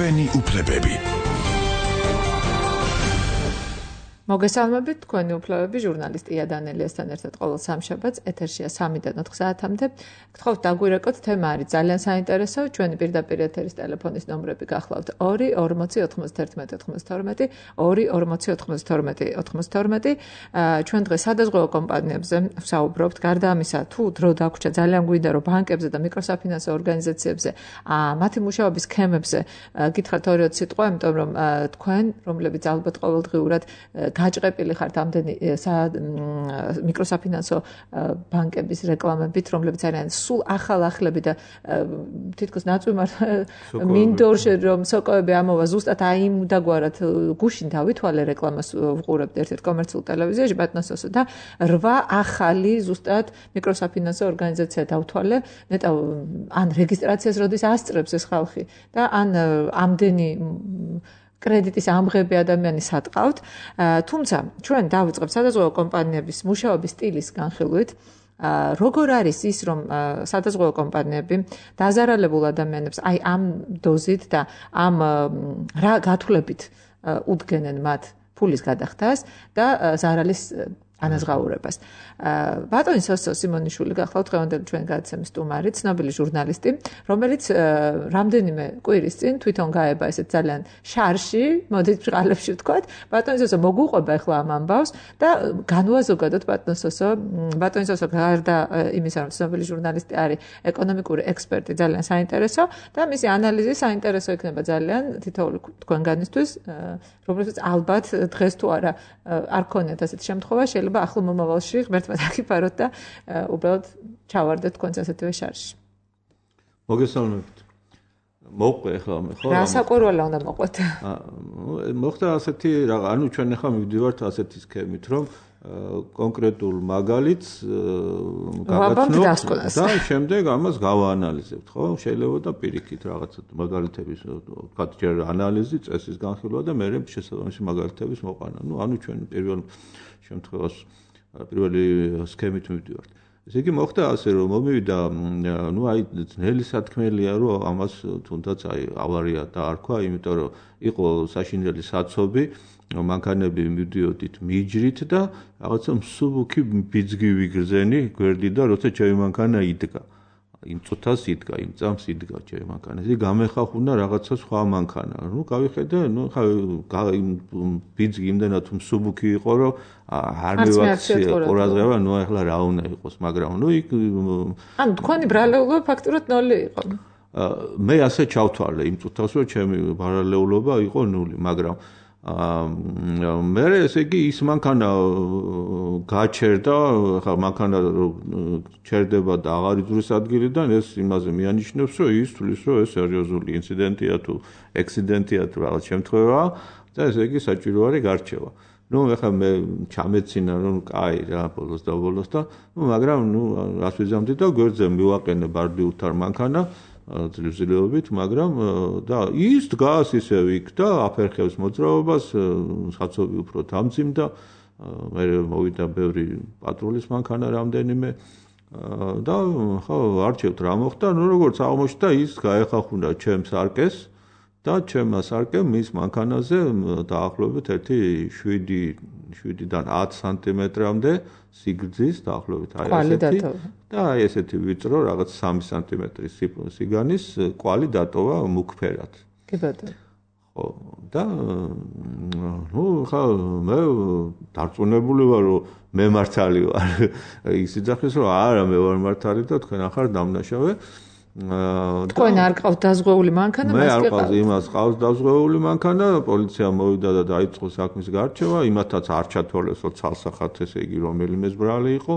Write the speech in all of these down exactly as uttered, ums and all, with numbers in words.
ჩვენი უფლებები. მოგესალმებით, თქვენი უფლებები, ჟურნალისტი ია დანელიასთან ერთად ყოველ სამშაბათს ეთერშია სამიდან ოთხ საათამდე. გთხოვთ დაგვირეკოთ, თემა არის ძალიან საინტერესო. ჩვენი პირდაპირ ეთერის ტელეფონის ნომრები გახლავთ ორი ორმოცი ოთხმოცდაერთმეტი ოთხმოცდათორმეტი, ორი ორმოცი ოთხმოცდათორმეტი ოთხმოცდათორმეტი. ჩვენ დღეს სადაზღვევო კომპანიებზე ვსაუბრობთ. გარდა ამისა, თუ დრო დაგვრჩა, ძალიან გვინდა რომ ბანკებზე და მიკროსაფინანსო ორგანიზაციებზე, მათი მუშაობის სქემებზე გითხრათ ორი ოც სიტყვა, იმიტომ რომ თქვენ, რომლებიც ალბათ ყოველდღიურად გაჭყეპილი ხართ ამდენი მიკროსაფინანსო ბანკების რეკლამებით, რომლებიც არიან სულ ახალ-ახლები და თითქოს ნაწვიმარ მინდორში რომ სოკოები ამოვა ზუსტად აი იმ დაგვარად გუშინ დავითვალე რეკლამას ვყურებთ ერთ-ერთ კომერციულ ტელევიზიაში ბატონსოსო და რვა ახალი ზუსტად მიკროსაფინანსო ორგანიზაცია დავთვალე, ნეტავ ან რეგისტრაციას როდის ასწრებს ეს ხალხი და ან ამდენი კრედიტის ამღები ადამიანის ატყავთ, თუმცა ჩვენ დავიწყებთ სადაზღვევო კომპანიების მუშაობის სტილის განხილვით. როგორ არის ის, რომ სადაზღვევო კომპანიები დაზარალებულ ადამიანებს აი ამ დოზით და ამ რა გათვლებით უდგენენ მათ ფულის გადახდას და ზარალის ანაზღაურებას. ბატონი სოსო სიმონიშვილი გახლავთ დღევანდელი ჩვენ გადაცემის სტუმარი, ცნობილი ჟურნალისტი, რომელიც რამდენიმე კვირის წინ თვითონ გაება ესეთ ძალიან შარში, მოდით ბრალებში ვთქვათ. ბატონი სოსო მოგუყვება ახლა ამ ამბავს და განვაზოგადოთ ბატონი სოსო, ბატონი სოსო გარდა იმისა, რომ ცნობილი ჟურნალისტი არის, ეკონომიკური ექსპერტი, ძალიან საინტერესო და მისი ანალიზი საინტერესო იქნება ძალიან თითოეული თქვენგანისთვის, რომელსაც ალბათ დღეს თუ არა არ ქონიათ ასეთი შემთხვევა, შეიძლება ახლო მომავალში ღმერთმა დაგიფაროთ და უბრალოდ ჩავარდეთ თქვენს ასეთივე შარში. მოგესალმებით. მოყვე ახლა მე ხო? რა საკვირველა უნდა მოყვეთ? მოხდა ასეთი რა, ანუ ჩვენ ახლა მივდივართ ასეთი სქემით, რომ კონკრეტულ მაგალითს გაგაცნობთ და შემდეგ ამას გავაანალიზებთ, ხო? შეიძლება და პირიქით რაღაცა მაგალითების, თქვა ჯერ ანალიზი, წესის განხილვა და მე შესაბამისი მაგალითების მოყვანა. ნუ ანუ ჩვენ პირველ შემთხვევას პირველი სქემით მივდივართ. ესე იგი მოხდა ასე რომ მომივიდა, ნუ აი ძნელი სათქმელია რომ ამას თუნდაც აი ავარია დაარქვა, იმიტომ რომ იყო საშინელი საცობი, მანქანები მივდიოდით მიჯრით და რაღაცა მსუბუქი ბიძგი ვიგრძენი გვერდი და როცა ჩემი მანქანა იდგა. იმ წუთას იდგა, იმ წამს იდგა ჩემი მანქანა. ესე გამეხახუნა რაღაცა სხვა მანქანა. ნუ გავიხედე, ნუ ხა ბიძგი იმდანაც მსუბუქი იყო, რომ არ მივაქცია ყურადღება, ნუ ახლა რა უნდა იყოს, მაგრამ ნუ იქ ანუ თქვენი ბრალეულობა ფაქტურად ნული იყო. მე ასე ჩავთვალე იმ წუთას, რომ ჩემი ბრალეულობა იყო ნული, მაგრამ მე ესე იგი ის მანქანა გაჩერდა, ხა მანქანა ჩერდება და აღარ იძურის ადგილიდან, ეს იმაზე მიანიშნებს, რომ ის თulis, რომ ეს სერიოზული ინციდენტია თუ ექსიდენტია თუ რაღაც შემთხვევაა და ესე იგი საჭირო არის გარჩევა. ნუ ახლა მე ჩამეცინა რომ კაი რა ბოლოს და ბოლოს და ნუ მაგრამ ნუ რას ვიზამდი და გვერდზე მივაყენე ბარდი უთარ მანქანა ძლივზილობით, მაგრამ და ის დგას ისევ იქ და აფერხებს მოძრაობას, საცობი უფრო დამძიმდა, მე მოვიდა ბევრი პატრულის მანქანა რამდენიმე და ხო არჩევთ რა მოხდა, ნუ როგორც აღმოჩნდა ის გაეხახუნა ჩემს არკეს და ჩემ სარკემ მის მანქანაზე დაახლოებით ერთი შვიდიდან ათ სანტიმეტრამდე სიგრძის დაახლოებით აი ესეთი და აი ესეთი ვიწრო რაღაც სამი სანტიმეტრის სიგანის კვალი დატოვა მუქფერად. კი ბატონო. ხო და ნუ ხა მე დარწმუნებული ვარ რომ მე მართალი ვარ. ის იძახეს რომ არა მე ვარ მართალი და თქვენ ახარ დამნაშავე. თქვენ არ ყავთ დაზღვეული მანქანა, მე არ ყავს იმას ყავს დაზღვეული მანქანა, პოლიცია მოვიდა და დაიწყო საქმის გარჩევა, იმათაც არ ჩათვალეს, რომ ცალსახად ესე იგი რომელიმეს ბრალი იყო.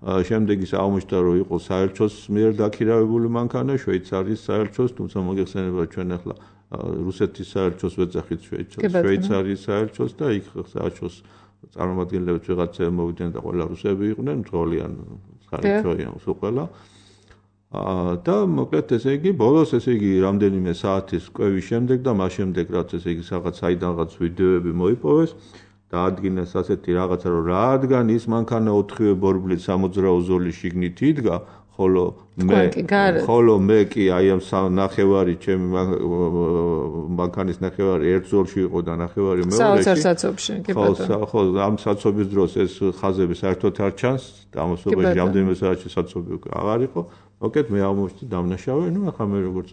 შემდეგ ის აღმოჩნდა, რომ იყო საელჩოს მიერ დაქირავებული მანქანა, შვეიცარიის საელჩოს, თუმცა მოგეხსენება ჩვენ ახლა რუსეთის საელჩოს ვეძახით შვეიცარიის საელჩოს და იქ საელჩოს წარმომადგენლებს ვიღაცები მოვიდნენ და ყველა რუსები იყვნენ, მძღოლიან საელჩოიან სულ ყველა. და მოკლედ ესე იგი ბოლოს ესე იგი რამდენიმე საათის კვევის შემდეგ და მას შემდეგ რაც ესე იგი რაღაც საიდანღაც ვიდეოები მოიპოვეს დაადგინეს ასეთი რაღაცა რომ რადგან ის მანქანა ოთხივე ბორბლით სამოძრაო ზოლის შიგნით იდგა ხოლო მე ხოლო მე კი აი ამ ნახევარი ჩემი მანქანის ნახევარი ერთ ზოლში იყო და ნახევარი მეორეში საოცარ საცობში კი ბატონო ხო ამ საცობის დროს ეს ხაზები საერთოდ არ ჩანს ამასობაში რამდენიმე საათში საცობი უკვე აღარ იყო მოკეთ მე აღმოჩნდა დამნაშავე ნუ ახლა მე როგორც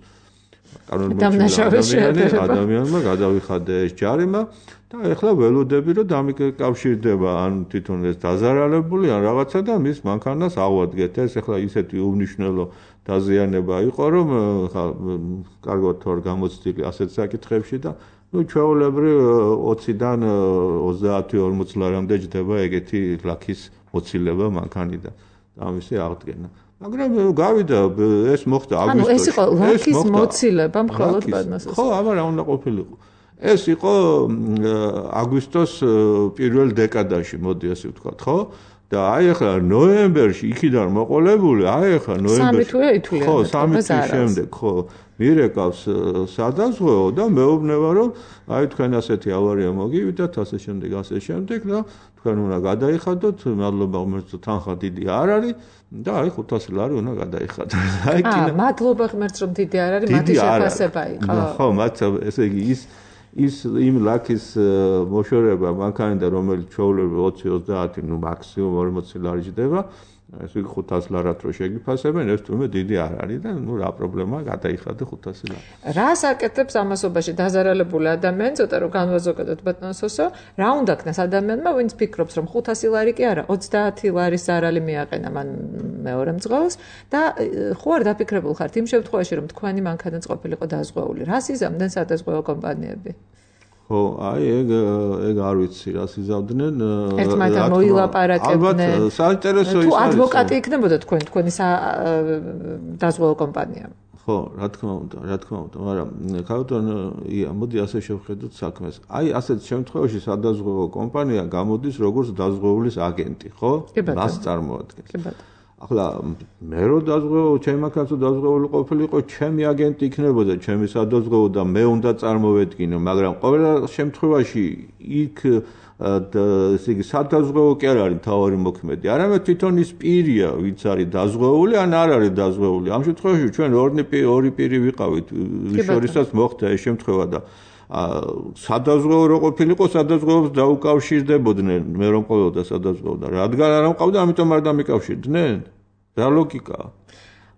დამნაშავე ადამიანმა გადავიხადე ეს ჯარიმა და ეხლა ველოდები რომ დამიკავშირდება ან თვითონ ეს დაზარალებული ან რაღაცა და მის მანქანას ავადგეთ ეს ეხლა ისეთი უნიშნელო დაზიანება იყო რომ ხა კარგად თორ გამოცდილი ასეთ საკითხებში და ნუ ჩვეულებრივ ოციდან ოცდაათი ორმოც ლარამდე ჯდება ეგეთი ლაქის მოცილება მანქანიდან და ამისი აღდგენა მაგრამ გავიდა ეს მოხდა აგვისტოში. ანუ ეს იყო ლაქის მოცილება მხოლოდ ბანას. ხო, აბა რა უნდა ყოფილიყო. ეს იყო აგვისტოს პირველ დეკადაში, მოდი ასე ვთქვათ, ხო? და აი ახლა ნოემბერში იქიდან მოყოლებული, აი ახლა ნოემბერში. სამი თვე ითვლიან. ხო, სამი თვის შემდეგ, ხო. მირეკავს სადაზღვეო და მეუბნება რომ აი თქვენ ასეთი ავარია მოგივიდათ, ასე შემდეგ, ასე შემდეგ და თქვენ უნდა გადაიხადოთ, მადლობა ღმერთს თანხა დიდი არ არის და აი ხუთასი ლარი უნდა გადაიხადოთ. აი კინა. აა, მადლობა ღმერთს რომ დიდი არ არის, მათი შეფასება იყო. ხო, მათ ესე იგი ის ის იმ ლაქის მოშორება მანქანიდან რომელიც ჩვეულებრივ ოცი ოცდაათი ნუ მაქსიმუმ ორმოცი ლარი ჯდება ეს იგი ხუთასი ლარად რო შეგიფასებენ ეს თუმე დიდი არ არის და ნუ რა პრობლემაა გადაიხადე ხუთასი ლარი. რას აკეთებს ამასობაში დაზარალებული ადამიანი ცოტა რომ განვაზოგადოთ ბატონო სოსო რა უნდა ქნას ადამიანმა ვინც ფიქრობს რომ ხუთასი ლარი კი არა ოცდაათი ლარის ზარალი მიაყენა მან მეორე მძღოლს და ხო არ დაფიქრებულ ხართ იმ შემთხვევაში რომ თქვენი მანქანაც ყოფილიყო დაზღვეული რას იზამდნენ სადაზღვეო კომპანიები ხო, აი ეგ ეგ არ ვიცი რას იზავდნენ. ერთმანეთთან მოილაპარაკებდნენ. ალბათ საინტერესო ის არის. თუ ადვოკატი იქნებოდა თქვენ თქვენი დაზღვეო კომპანია. ხო, რა თქმა უნდა, რა თქმა უნდა, მაგრამ ქალბატონ ია, მოდი ასე შევხედოთ საქმეს. აი ასეთ შემთხვევაში სადაზღვეო კომპანია გამოდის როგორც დაზღვეულის აგენტი, ხო? მას წარმოადგენს. კი ბატონო. ახლა მე რო დაზღვეო, ჩემი მანქანაც დაზღვეული ყოფილიყო, ჩემი აგენტი იქნებოდა, ჩემი სადაზღვეო და მე უნდა წარმოვედგინო, მაგრამ ყოველ შემთხვევაში იქ ესე იგი სადაზღვეო კი არ არის თავარი მოქმედი. არამედ თვითონ ის პირია, ვინც არის დაზღვეული, ან არ არის დაზღვეული. ამ შემთხვევაში ჩვენ ორი ორი პირი ვიყავით, ვის შორისაც მოხდა ეს შემთხვევა და სადაზღვეო რო ყოფილიყო, სადაზღვეოს დაუკავშირდებოდნენ, მე რომ ყოფილოდა სადაზღვეო და რადგან არ მყავდა, ამიტომ არ დამიკავშირდნენ? რა ლოგიკაა?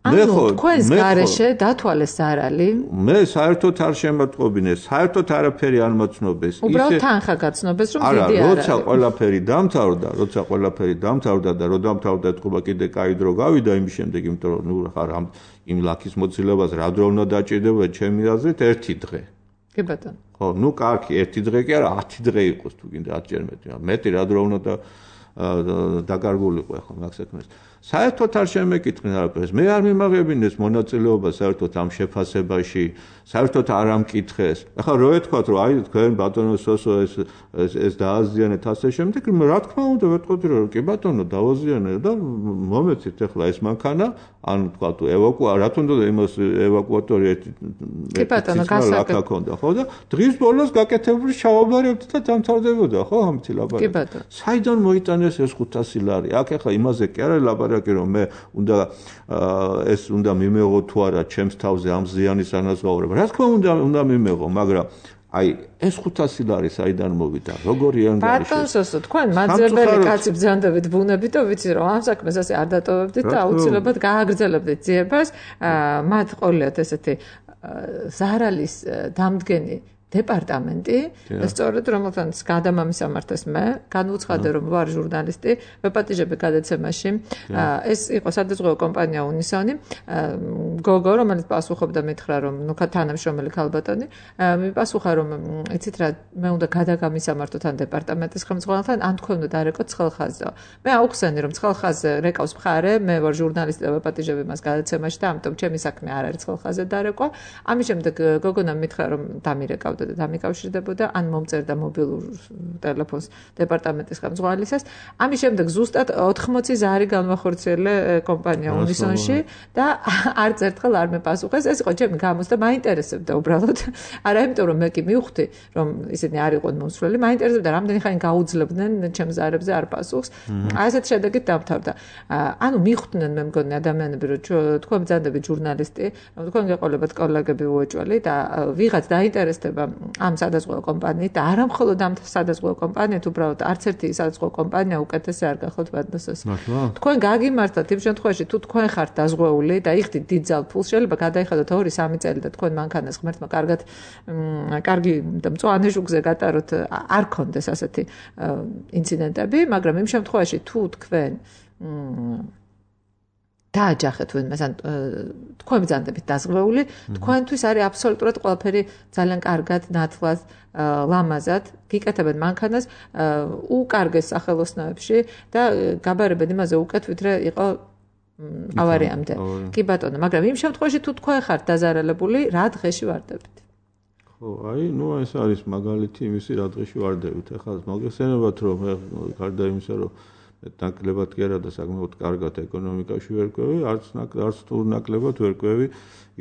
მე ხო, თქვენს გარეშე დათვალეს ზარალი? მე საერთოდ არ შემატყობინეს, საერთოდ არაფერი არ მოცნობეს. უბრალოდ თანხა გაცნობეს, რომ დიდი არ არის. არა, როცა ყველაფერი დამთავრდა, როცა ყველაფერი დამთავრდა და რო დამთავრდა ეთქობა კიდე კაი დრო გავიდა იმის შემდეგ, იმიტომ რომ ნუ ხარ ამ იმ ლაქის მოცილებას რა დრო უნდა დაჭირდება ჩემი აზრით ერთი დღე. კი ბატონო. ხო, ნუ კარგი, ერთი დღე კი არა, ათი დღე იყოს თუ გინდა ათჯერ მეტი. მეტი რა დრო უნდა დაკარგულიყო ახლა მაგ საქმეს. საერთოდ არ შემეკითხნენ არაფერს. მე არ მიმაღებინეს მონაწილეობა საერთოდ ამ შეფასებაში, საერთოდ არ ამკითხეს. ახლა რო ეთქვათ, რომ აი თქვენ ბატონო სოსო ეს ეს დააზიანეთ ასე შემდეგ, რა თქმა უნდა ვეთქვი რომ კი ბატონო დავაზიანე და მომეცით ახლა ეს მანქანა, ან თქვა თუ ევაკუა, რა თქმა უნდა იმას ევაკუატორი ერთი კი ბატონო გასაკეთე ქონდა, ხო და დღის ბოლოს გაკეთებული ჩავაბარებდი და დამთავრდებოდა, ხო ამით ლაბარაკი. კი ბატონო. საიდან მოიტანეს ეს ხუთასი ლარი? აქ ახლა იმაზე კი არა ლაბარაკი რომ მე უნდა ეს უნდა მიმეღო თუ არა ჩემს თავზე ამ ზიანის ანაზღაურება. რა თქმა უნდა უნდა მიმეღო, მაგრამ აი ეს ხუთასი ლარი საიდან მოვიდა? როგორი ანგარიში? ბატონ სოსო, თქვენ მაძრებელი კაცი ბრძანდებით ბუნებით და ვიცი რომ ამ საქმეს ასე არ დატოვებდით და აუცილებლად გააგრძელებდით ძიებას. მათ ყოლიათ ესეთი ზარალის დამდგენი დეპარტამენტი და სწორედ რომელთანაც გადამამისამართეს მე განუცხადე რომ ვარ ჟურნალისტი ვეპატიჟები გადაცემაში ეს იყო სადაზღვეო კომპანია უნისონი გოგო რომელიც პასუხობდა მითხრა რომ ნუ თანამშრომელი ქალბატონი მიპასუხა რომ იცით რა მე უნდა გადაგამისამართოთ ან დეპარტამენტის ხელმძღვანელთან ან თქვენ უნდა დარეკოთ ცხელხაზზე მე აუხსენი რომ ცხელხაზზე რეკავს მხარე მე ვარ ჟურნალისტი და ვეპატიჟები მას გადაცემაში და ამიტომ ჩემი საქმე არ არის ცხელხაზზე დარეკვა ამის შემდეგ გოგონამ მითხრა რომ დამირეკავდა ეთებოდა და დამიკავშირდებოდა ან მომწერდა მობილურ ტელეფონს დეპარტამენტის ხელმძღვანელისას. ამის შემდეგ ზუსტად ოთხმოცი ზარი განვახორციელე კომპანია უნისონში და არც ერთხელ არ მეპასუხეს. ეს იყო ჩემი გამოცდა, მაინტერესებდა უბრალოდ. არა იმიტომ რომ მე კი მივხვდი რომ ისინი არ იყვნენ მომსვლელი, მაინტერესებდა რამდენი ხანი გაუძლებდნენ ჩემს ზარებზე არ პასუხს. ასეთ შედეგით დამთავრდა. ანუ მიხვდნენ მე მგონი ადამიანები რომ თქვენ ბრძანდებით ჟურნალისტი, რომ თქვენ გეყოლებათ კოლეგები უეჭველი და ვიღაც დაინტერესდება ამ სადაზღვევო კომპანიით და არა მხოლოდ ამ სადაზღვევო კომპანიით, უბრალოდ არც ერთი სადაზღვევო კომპანია უკეთესი არ გახლავთ ბატონოსოს. თქვენ გაგიმართლათ იმ შემთხვევაში თუ თქვენ ხართ დაზღვეული და იხდით დიდ ძალფულს, შეიძლება გადაიხადოთ ორი სამი წელი და თქვენ მანქანას ღმერთმა კარგად კარგი და მწვანე ჟუგზე გატაროთ, არ გქონდეს ასეთი ინციდენტები, მაგრამ იმ შემთხვევაში თუ თქვენ დააჯახეთ ვინმეს, ან თქვენ ბრძანდებით დაზღვეული, თქვენთვის არის აბსოლუტურად ყველაფერი ძალიან კარგად, ნათლად, ლამაზად, გიკეთებენ მანქანას უკარგეს სახელოსნოებში და გაბარებენ იმაზე უკეთ, ვიდრე იყო ავარიამდე. კი ბატონო, მაგრამ იმ შემთხვევაში თუ თქვენ ხართ დაზარალებული, რა დღეში ვარდებით? ხო, აი, ნუ ეს არის მაგალითი იმისი რა დღეში ვარდებით. ეხლა მოგეხსენებათ რომ გარდა იმისა რომ ნაკლებად კი არა და საკმაოდ კარგად ეკონომიკაში ვერკვევი, არც არც თუ ნაკლებად ვერკვევი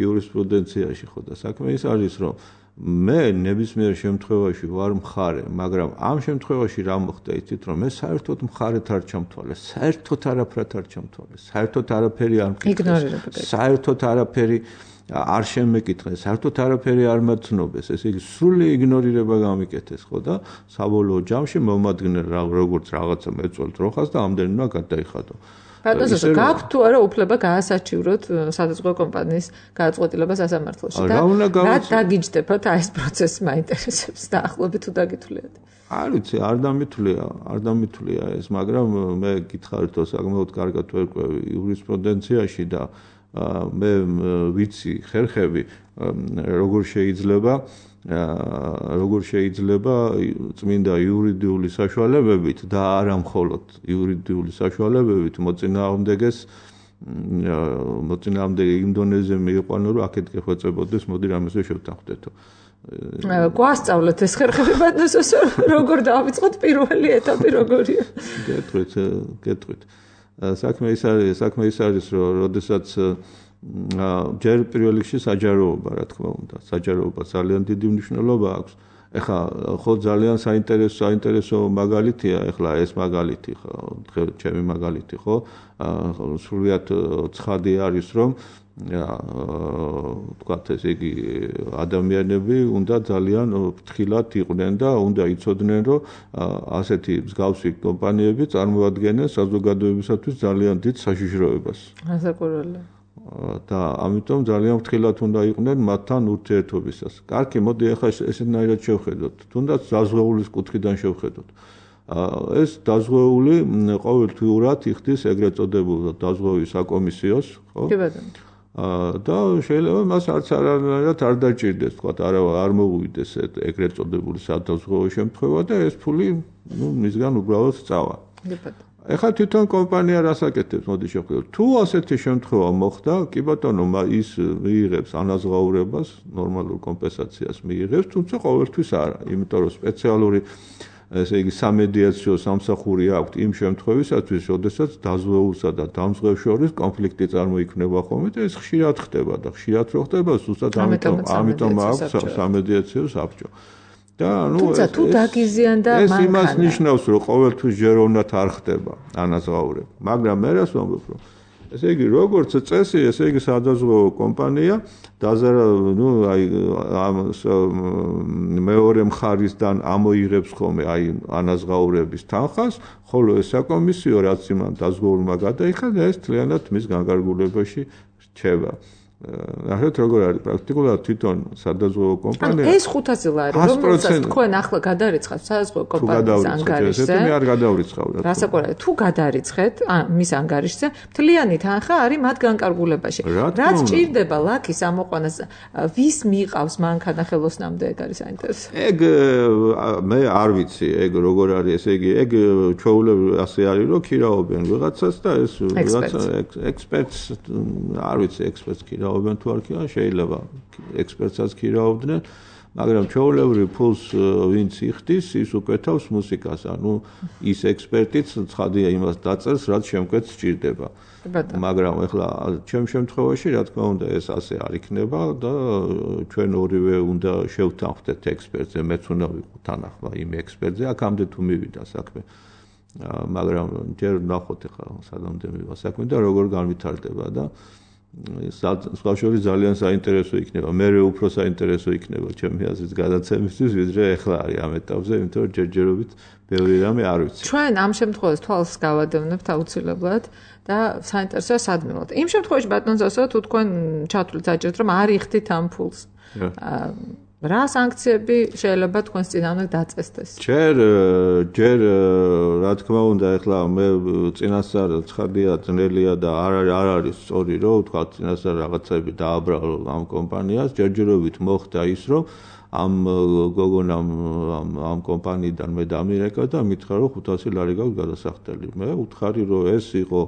იურისპრუდენციაში, ხო და საქმე ის არის რომ მე ნებისმიერ შემთხვევაში ვარ მხარე, მაგრამ ამ შემთხვევაში რა მოხდა იცით რომ მე საერთოდ მხარეთ არ ჩამთვალე, საერთოდ არაფრად არ ჩამთვალე, საერთოდ არაფერი არ მკითხეს, საერთოდ არაფერი არ შემეკითხეს, საერთოდ არაფერი არ მაცნობეს, ესე იგი სრული იგნორირება გამიკეთეს, ხო და საბოლოო ჯამში მომადგენენ როგორც რაღაცა მეწველ ტროხას და ამდენი უნდა გადაიხადო. ბატონო, გაქვთ თუ არა უფლება გაასაჩივროთ სადაზღვევო კომპანიის გადაწყვეტილებას სასამართლოში და რა დაგიჯდებათ აი ეს პროცესი მაინტერესებს დაახლოებით თუ დაგითვლიათ? არ ვიცი, არ დამითვლია, არ დამითვლია ეს, მაგრამ მე გითხარით რომ საკმაოდ კარგად ვერკვევი იურისპრუდენციაში და მე ვიცი ხერხები როგორ შეიძლება როგორ შეიძლება წმინდა იურიდიული საშუალებებით და არა მხოლოდ იურიდიული საშუალებებით მოწინააღმდეგეს მოწინააღმდეგე იმ დონეზე მიიყვანო რომ აქეთ გეხვეწებოდეს, მოდი რამეზე შევთანხმდეთო. გვასწავლეთ ეს ხერხები ბატონოს როგორ დავიწყოთ პირველი ეტაპი როგორია? გეტყვით, გეტყვით. საქმე ის არის, საქმე ის არის, რომ როდესაც ჯერ პირველ რიგში საჯაროობა, რა თქმა უნდა, საჯაროობა ძალიან დიდი მნიშვნელობა აქვს. ეხლა ხო ძალიან საინტერესო საინტერესო მაგალითია, ეხლა ეს მაგალითი, ხო, ჩემი მაგალითი, ხო, სრულიად ცხადი არის, რომ თქვათ ესე იგი ადამიანები უნდა ძალიან ფრთხილად იყვნენ და უნდა იცოდნენ რომ ასეთი მსგავსი კომპანიები წარმოადგენენ საზოგადოებისათვის ძალიან დიდ საშიშროებას. ასაკურველი. და ამიტომ ძალიან ფრთხილად უნდა იყვნენ მათთან ურთიერთობისას. კარგი, მოდი ახლა ესეთნაირად შევხედოთ. თუნდაც დაზღვეულის კუთხიდან შევხედოთ. ეს დაზღვეული ყოველთვიურად იხდის ეგრეთ წოდებულ დაზღვევის საკომისიოს, ხო? კი ბატონო. და შეიძლება მას არც არანაირად არ დაჭირდეს, თქვა არა არ მოუვიდეს ეგრეთ წოდებული სადაზღვევო შემთხვევა და ეს ფული ნუ მისგან უბრალოდ სწავა. ეხლა თვითონ კომპანია რას აკეთებს, მოდი შევხედოთ. თუ ასეთი შემთხვევა მოხდა, კი ბატონო, ის მიიღებს ანაზღაურებას, ნორმალურ კომპენსაციას მიიღებს, თუმცა ყოველთვის არა, იმიტომ რომ სპეციალური ესე იგი სამედიაციო სამსახური აქვს იმ შემთხვევისათვის, როდესაც დაზღვეულსა და დამზღვევს შორის კონფლიქტი წარმოიქმნება ხოლმე და ეს ხშირად ხდება და ხშირად რო ხდება, ზუსტად ამიტომ ამიტომ აქვს სამედიაციო საბჭო. და ნუ თუმცა თუ დაგიზიანდა მანქანა. ეს იმას ნიშნავს, რომ ყოველთვის ჯეროვნად არ ხდება ანაზღაურება. მაგრამ მე რას ვამბობ, რომ ესე იგი როგორც წესი, ესე იგი სადაზღვევო კომპანია დაზარა, ნუ აი ამ მეორე მხარისგან ამოიღებს ხოლმე აი ანაზღაურების თანხას, ხოლო ეს საკომისიო რაც იმან დაზღვეულმა გადაიხადა, ეს თლიანად მის განკარგულებაში რჩება. ნახეთ როგორ არის პრაქტიკულად თვითონ სადაზღვევო კომპანია. ეს ხუთასი ლარი, რომელსაც თქვენ ახლა გადარიცხავთ სადაზღვევო კომპანიის ანგარიშზე. მე არ გადავრიცხავ რა. რასაკვირველია, თუ გადარიცხეთ მის ანგარიშზე, მთლიანი თანხა არის მათ განკარგულებაში. რაც ჭირდება ლაქის ამოყვანას, ვის მიყავს მანქანა ხელოსნამდე, ეგ არის საინტერესო. ეგ მე არ ვიცი, ეგ როგორ არის, ესე იგი, ეგ ჩვეულებრივ ასე არის, რომ ქირაობენ ვიღაცას და ეს ვიღაცა ექსპერტს არ ვიცი, ექსპერტს ქირაობენ თუ არ ქირაობენ, შეიძლება ექსპერტსაც ქირაობდნენ, მაგრამ ჩვეულებრივ ფულს ვინც იხდის, ის უკეთავს მუსიკას, ანუ ის ექსპერტიც ცხადია იმას დაწერს, რაც შემკვეთს სჭირდება. მაგრამ ეხლა ჩემ შემთხვევაში, რა თქმა უნდა, ეს ასე არ იქნება და ჩვენ ორივე უნდა შევთანხმდეთ ექსპერტზე, მეც უნდა ვიყო თანახმა იმ ექსპერტზე, აქამდე თუ მივიდა საქმე. მაგრამ ჯერ ნახოთ ეხლა სადამდე მივა საქმე და როგორ განვითარდება და სხვა შორის ძალიან საინტერესო იქნება. მერე უფრო საინტერესო იქნება ჩემი აზრით გადაცემისთვის, ვიდრე ეხლა არის ამ ეტაპზე, იმიტომ რომ ჯერჯერობით ბევრი რამე არ ვიცი. ჩვენ ამ შემთხვევაში თვალს გავადევნებთ აუცილებლად და საინტერესოა სადმელად. იმ შემთხვევაში ბატონ ზოსო, თუ თქვენ ჩათვლით საჭიროდ რომ არ იხდით ამ ფულს. რა სანქციები შეიძლება თქვენს წინააღმდეგ დაწესდეს? ჯერ ჯერ რა თქმა უნდა, ეხლა მე წინასწარ ცხადია, ძნელია და არ არ არის სწორი, რომ თქვა წინასწარ რაღაცები დააბრალო ამ კომპანიას, ჯერჯერობით მოხდა ის, რომ ამ გოგონამ ამ ამ კომპანიიდან მე დამირეკა და მითხრა, რომ ხუთასი ლარი გაქვს გადასახდელი. მე ვუთხარი, რომ ეს იყო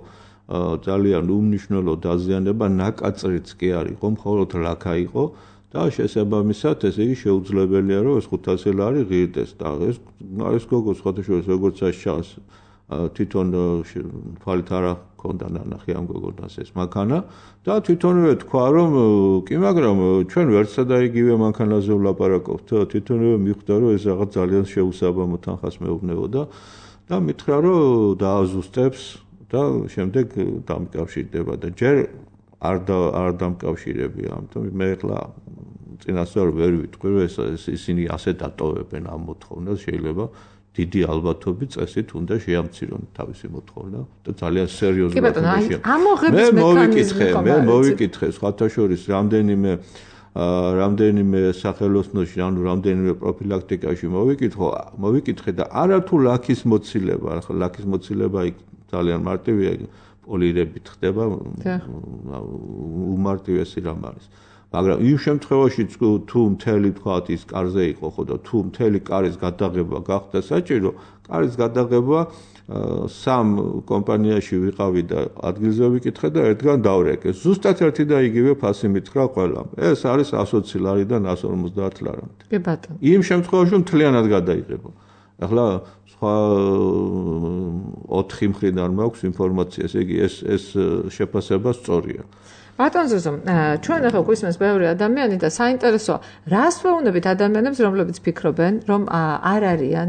ძალიან უმნიშვნელო დაზიანება, ნაკაწრიც კი არ იყო, მხოლოდ ლაქა იყო. და შესაბამისად ესე იგი შეუძლებელია რომ ეს ხუთასი ლარი ღირდეს და ეს ეს გოგო სხვათაშორის როგორც აშშავს თვითონ თვალით არ ჰქონდა ნანახი ამ გოგონას ეს მანქანა და თვითონვე თქვა რომ კი მაგრამ ჩვენ ვერცა და იგივე მანქანაზე ვლაპარაკობთ თვითონვე მიხვდა რომ ეს რაღაც ძალიან შეუსაბამო თანხას მეუბნებოდა და მითხრა რომ დააზუსტებს და შემდეგ დამკავშირდება და ჯერ არ და არ დამკავშირებია ამიტომ მე ახლა წინასწარ ვერ ვიტყვი რომ ეს ისინი ასე დატოვებენ ამ მოთხოვნას შეიძლება დიდი ალბათობით წესით უნდა შეამცირონ თავისი მოთხოვნა და ძალიან სერიოზულად უნდა შეამცირონ. მე მოვიკითხე, მე მოვიკითხე სხვათა შორის რამდენიმე რამდენიმე სახელოსნოში, ანუ რამდენიმე პროფილაქტიკაში მოვიკითხო, მოვიკითხე და არათუ ლაქის მოცილება, ახლა ლაქის მოცილება იქ ძალიან მარტივია პოლირებით ხდება უმარტივესი რამ არის. მაგრამ იმ შემთხვევაში თუ მთელი თქვათ ის კარზე იყო ხო და თუ მთელი კარის გადაღება გახდა საჭირო, კარის გადაღება სამ კომპანიაში ვიყავი და ადგილზე ვიკითხე და ერთგან დავრეკე. ზუსტად ერთი და იგივე ფასი მითხრა ყველამ. ეს არის ათი ლარიდან ათს ორმოცდაათი ლარამდე. კი ბატონო. იმ შემთხვევაში მთლიანად გადაიღება. ახლა სხვა ოთხი მხრიდან მაქვს ინფორმაცია, ესე იგი ეს ეს შეფასება სწორია. ბატონ ზოზო, ჩვენ ახლა გვისმენს ბევრი ადამიანი და საინტერესოა, რას ვეუბნებით ადამიანებს, რომლებიც ფიქრობენ, რომ არ არიან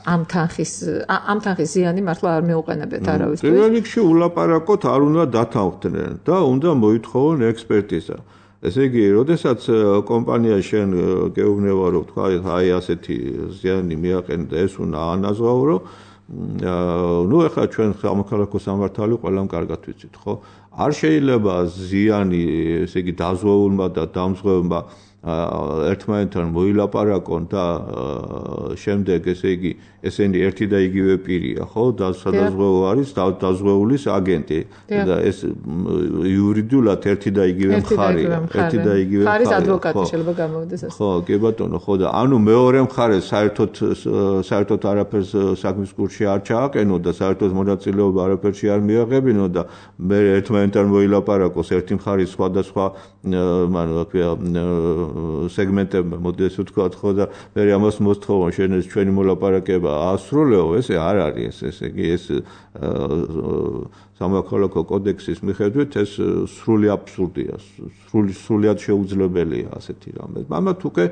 ამ თანხის ამ თანხის ზიანი მართლა არ მეუყენებთ არავისთვის. პირველ რიგში ულაპარაკოთ, არ უნდა დათანხმდნენ და უნდა მოითხოვონ ექსპერტიზა. ესე იგი, როდესაც კომპანია შენ გეუბნება, რომ თქვა, აი ასეთი ზიანი მიაყენე და ეს უნდა ანაზღაურო, ну ეხლა ჩვენ სამოქალაქო სამართალი ყველამ კარგად ვიცით, ხო? არ შეიძლება ზიანი, ესე იგი, დაზღვეულმა და დამზღვეულმა ერთმანეთთან მოილაპარაკონ და შემდეგ ესე იგი ესენი ერთი და იგივე პირია, ხო? და სადაზღვეულ არის დაზღვეულის აგენტი და ეს იურიდიულად ერთი და იგივე მხარეა, ერთი და იგივე მხარე. მხარის ადვოკატი შეიძლება გამოვიდეს ასე. ხო, კი ბატონო, ხო და ანუ მეორე მხარე საერთოდ საერთოდ არაფერს საქმის კურსში არ ჩააყენო და საერთოდ მონაწილეობა არაფერში არ მიაღებინო და მე ერთმანეთთან მოილაპარაკოს ერთი მხარის სხვადასხვა მან რა ქვია სეგმენტებმა მოდეს ვთქვათ ხო და მე ამას მოსთხოვონ შენ ეს ჩვენი მოლაპარაკება ასრულეო ესე არ არის ეს ესე იგი ეს სამოქალაქო კოდექსის მიხედვით ეს სრული აბსურდია სრული სრულად შეუძლებელია ასეთი რამე მაგრამ თუკე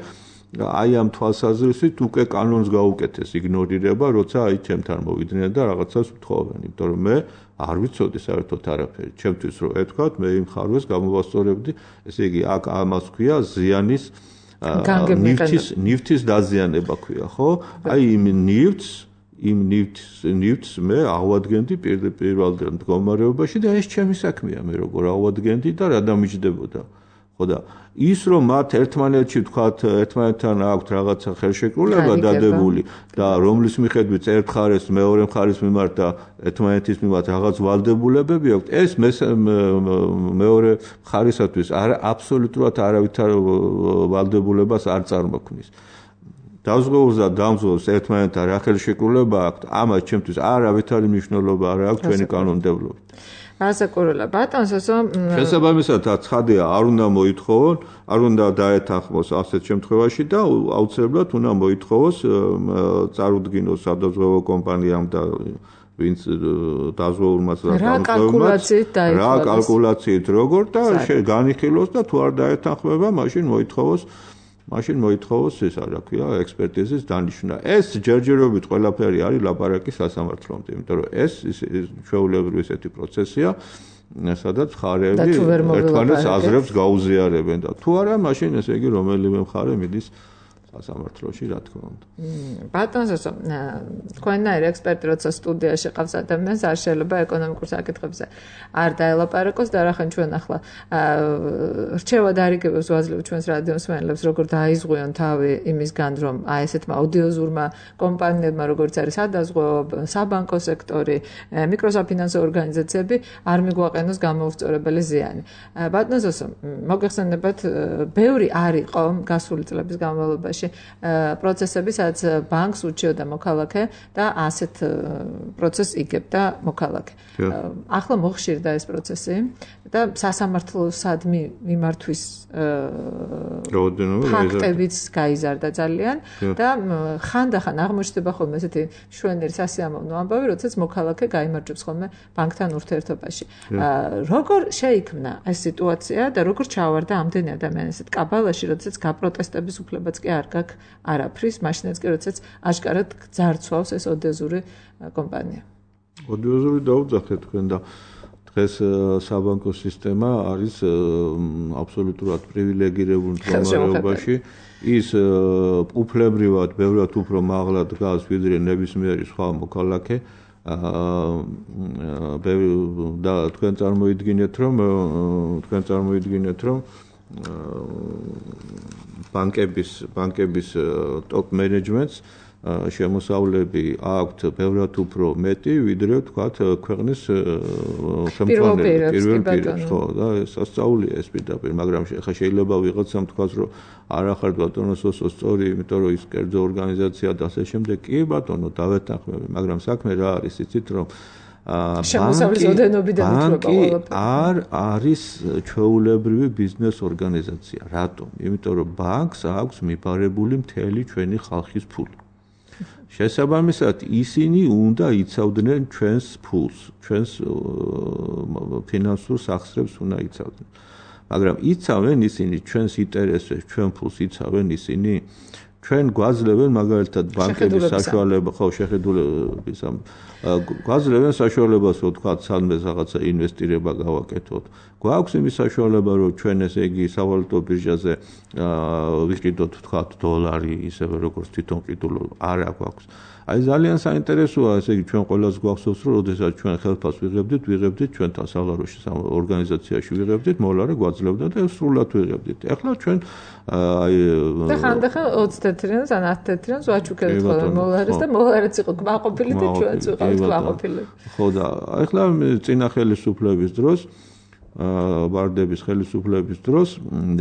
აი ამ თვალსაზრისით უკვე კანონს გაუკეთეს იგნორირება როცა აი ჩემთან მოვიდნენ და რაღაცას ვთხოვენ იმიტომ რომ მე არ ვიცოდი საერთოდ არაფერი ჩემთვის რომ ეთქვათ მე იმ ხარვეს გამოვასწორებდი ესე იგი აქ ამას ქვია ზიანის ნივთის ნივთის დაზიანება ქვია ხო აი იმ ნივთს იმ ნივთს ნივთს მე ავადგენდი პირველ მდგომარეობაში და ეს ჩემი საქმეა მე როგორ ავადგენდი და რა დამიჯდებოდა ხო და ის რომ მათ ერთმანეთში ვთქვათ ერთმანეთთან აქვთ რაღაცა ხელშეკრულება დადებული და რომლის მიხედვით ერთ მხარეს მეორე მხარის მიმართ და ერთმანეთის მიმართ რაღაც ვალდებულებები აქვთ ეს მეორე მხარისათვის არ აბსოლუტურად არავითარ ვალდებულებას არ წარმოქმნის დაზღვეულს და დამზღვეულს ერთმანეთთან რა ხელშეკრულება აქვს, ამას ჩემთვის არავითარი მნიშვნელობა არ აქვს ჩვენი კანონმდებლობით. ასაკურელა ბატონსო შესაბამისად ცხადია არ უნდა მოითხოვონ, არ უნდა დაეთანხმოს ასეთ შემთხვევაში და აუცილებლად უნდა მოითხოვოს წარუდგინოს სადაზღვევო კომპანიამ და ვინც დაზღვეულმაც და დამზღვეულმაც რა კალკულაციით როგორ და განიხილოს და თუ არ დაეთანხმება, მაშინ მოითხოვოს მაშინ მოითხოვოს ეს რა ქვია ექსპერტიზის დანიშვნა. ეს ჯერჯერობით ყველაფერი არის ლაპარაკი სასამართლომდე, იმიტომ რომ ეს ჩვეულებრივი ესეთი პროცესია, სადაც მხარეები ერთმანეთს აზრებს გაუზიარებენ და თუ არა, მაშინ ესე იგი რომელიმე მხარე მიდის სასამართლოში, რა თქმა უნდა. ბატონსო, თქვენნაირი ექსპერტი როცა სტუდიაში ყავს ადამიანს, არ შეიძლება ეკონომიკურ საკითხებზე არ დაელაპარაკოს და რახან ჩვენ ახლა რჩევად არიგებებს ვაძლევთ ჩვენს რადიოს მსმენელებს, როგორ დაიზღვიონ თავი იმისგან, რომ აი ესეთმა აუდიოზურმა კომპანიებმა, როგორც არის სადაზღვევო, საბანკო სექტორი, მიკროსაფინანსო ორგანიზაციები არ მიგვაყენოს გამოუსწორებელი ზიანი. ბატონსო, მოგეხსენებათ, ბევრი არ იყო გასული წლების განმავლობაში პროცესები, სადაც ბანკს უჩიოდა მოქალაქე და ასეთ პროცესს იგებდა მოქალაქე. ახლა მოხშირდა ეს პროცესი და სასამართლოსადმი მიმართვის ფაქტებიც გაიზარდა ძალიან და ხანდახან აღმოჩნდება ხოლმე ესეთი მშვენიერი სასიამოვნო ამბავი, როდესაც მოქალაქე გაიმარჯვებს ხოლმე ბანკთან ურთიერთობაში. როგორ შეიქმნა ეს სიტუაცია და როგორ ჩავარდა ამდენი ადამიანი ესეთ კაბალაში, როდესაც გაპროტესტების უფლებაც კი არ გაქვს არაფრის, მაშინაც კი როდესაც აშკარად ძარცვავს ეს ოდიოზური კომპანია. ოდიოზური დაუძახეთ თქვენ და დღეს საბანკო სისტემა არის აბსოლუტურად პრივილეგირებული მდგომარეობაში. ის უფლებრივად, ბევრად უფრო მაღლა დგას ვიდრე ნებისმიერი სხვა მოქალაქე. და თქვენ წარმოიდგინეთ, რომ თქვენ წარმოიდგინეთ, რომ ბანკების ბანკების ტოპ მენეჯმენტს შემოსავლები აქვთ ბევრად უფრო მეტი, ვიდრე თქვათ ქვეყნის ხელმძღვანელი პირველ პირებს, ხო, და სასწაულია ეს პირდაპირ, მაგრამ ხა შეიძლება ვიღაცამ თქვას, რომ არ ახართ ბატონო სოსო სწორი, იმიტომ რომ ის კერძო ორგანიზაცია და ასე შემდეგ. კი ბატონო, დავეთანხმები, მაგრამ საქმე რა არის, იცით, რომ შემოსავლის ოდენობიდან უთხრობა ყველაფერი. არ არის ჩვეულებრივი ბიზნეს ორგანიზაცია. რატომ? იმიტომ რომ ბანკს აქვს მიბარებული მთელი ჩვენი ხალხის ფული. შესაბამისად, ისინი უნდა იცავდნენ ჩვენს ფულს, ჩვენს ფინანსურ სახსრებს უნდა იცავდნენ. მაგრამ იცავენ ისინი ჩვენს ინტერესებს, ჩვენ ფულს იცავენ ისინი. ჩვენ გვაძლევენ მაგალითად ბანკების საშუალება, ხო, შეხედულების ამ გვაძლევენ საშუალებას, რომ თქვა, სადმე რაღაცა ინვესტირება გავაკეთოთ. გვაქვს იმის საშუალება, რომ ჩვენ ესე იგი სავალუტო ბირჟაზე ვიყიდოთ, თქვა, დოლარი, ისევე როგორც თვითონ ყიდულო, არა გვაქვს. აი ძალიან საინტერესოა, ესე იგი ჩვენ ყველას გვახსოვს, რომ როდესაც ჩვენ ხელფასს ვიღებდით, ვიღებდით ჩვენთან საღაროში ორგანიზაციაში ვიღებდით, მოლარე გვაძლევდა და სრულად ვიღებდით. ეხლა ჩვენ აი და ხანდახან ოცი თეთრიანს ან ათი თეთრიანს ვაჩუქებთ ხოლმე მოლარეს და მოლარეც იყო კმაყოფილი და ჩვენც ვიყავით კმაყოფილი. ხო და ეხლა წინა ხელისუფლების დროს ვარდების ხელისუფლების დროს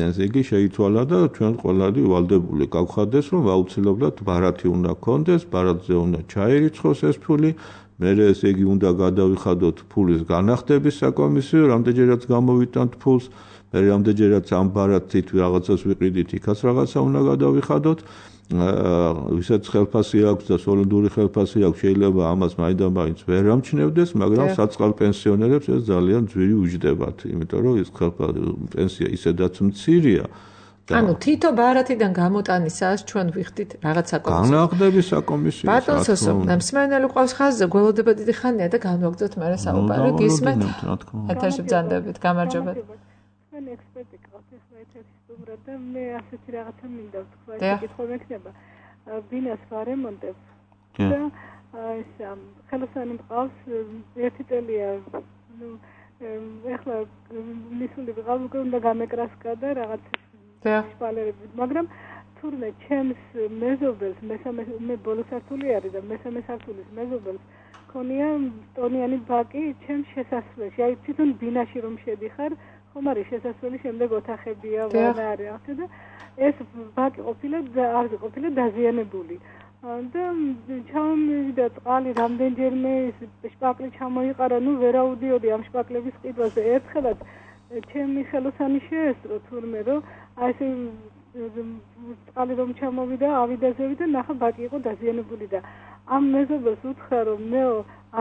ესე იგი შეიცვალა და ჩვენ ყველანი ვალდებული გავხადეს, რომ აუცილებლად ბარათი უნდა გქონდეს, ბარათზე უნდა ჩაერიცხოს ეს ფული, მერე ესე იგი უნდა გადავიხადოთ ფულის განახდების საკომისიო, რამდენჯერაც გამოვიტანთ ფულს, მერე რამდენჯერაც ამ ბარათით რაღაცას ვიყიდით, იქაც რაღაცა უნდა გადავიხადოთ. ვისაც ხელფასი აქვს და სოლიდური ხელფასი აქვს, შეიძლება ამას მაინდა-მაინც ვერ ამჩნევდეს, მაგრამ საწყალ პენსიონერებს ეს ძალიან ძვირი უჯდებათ, იმიტომ რომ ეს პენსია ისედაც მცირეა. ანუ თითო ბარათიდან გამოტანისას ჩვენ ვიხდით რაღაც საკომისიო. განახდების საკომისიო. ბატონსო, მსმენელი ყავს ხაზზე, გველოდება დიდი ხანია და განვაგრძოთ მერე საუბარი, გისმენთ? ეთერში ბრძანდებით, გამარჯობა. მან ექსპერტი ყავს ახლა ეთერში სტუმრად და მე ასეთი რაღაცა მინდა ვთქვა, ეს კითხვა მექნება. ბინას ვარემონტებს და ეს ხელოსანი მყავს ერთი წელია, ну, ახლა მისული ვიღავ უკვე უნდა გამეკრასკა და რაღაც შპალერები, მაგრამ თურმე ჩემს მეზობელს, მესამე მე ბოლო სართული არის და მესამე სართულის მეზობელს ქონია ტონიანი ბაკი ჩემს შესასვლელში. აი თვითონ ბინაში რომ შედიხარ, ხომ არის შესასვლელი შემდეგ ოთახებია ვანა არის ახლა და ეს ბაკი ყოფილა არ ყოფილა დაზიანებული და ჩამოვიდა წყალი რამდენჯერმე შპაკლი ჩამოიყარა ნუ ვერაუდიოდი ამ შპაკლების ყიდვაზე ერთხელაც ჩემი ხელოსანი შეესწრო თურმე რომ აი ეს წყალი რომ ჩამოვიდა ავიდაზევი და ნახა ბაკი იყო დაზიანებული და ამ მეზობელს უთხრა რომ მე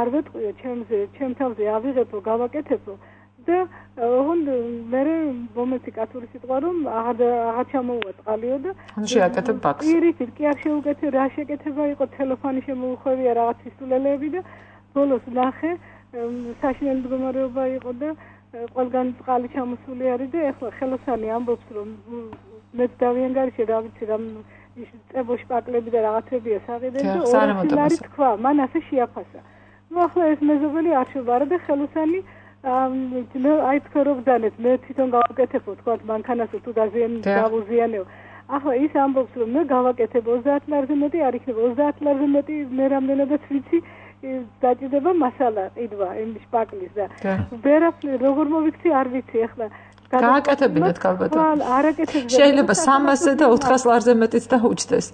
არ ვეტყვიო ჩემზე ჩემ თავზე ავიღებო გავაკეთებო და ოღონდ მე მომეცი კათური სიტყვა რომ აღარ აღარ ჩამოუვა წყალიო და შეაკეთებ ბაკს პირიქით კი არ შეუკეთე რა შეკეთება იყო ტელეფონი შემოუხვევია რაღაც ისულელები და ბოლოს ნახე საშინელი მდგომარეობა იყო და ყველგან წყალი ჩამოსული არის და ეხლა ხელოსანი ამბობს რომ მე დავიანგარიშე რა ვიცი რამ ის წებო შპაკლები და რაღაცებია საყიდე და ორი თქვა მან ასე შეაფასა ნუ ახლა ეს მეზობელი არ შევარა და ხელოსანი მე აი თქვა რომ დანეთ მე თვითონ გავაკეთებო თქვა მანქანას თუ დაზიან გავუზიანეო ახლა ის ამბობს რომ მე გავაკეთებ ოცდაათ ლარზე მეტი არ იქნება ოცდაათ ლარზე მეტი მე რამდენადაც ვიცი დაჭირდება მასალა ყიდვა იმ შპაკლის და ვერაფერ როგორ მოვიქცი არ ვიცი ახლა გააკეთებინათ ქალბატონო არაკეთებს შეიძლება სამასზე და ოთხას ლარზე მეტიც დაუჩდეს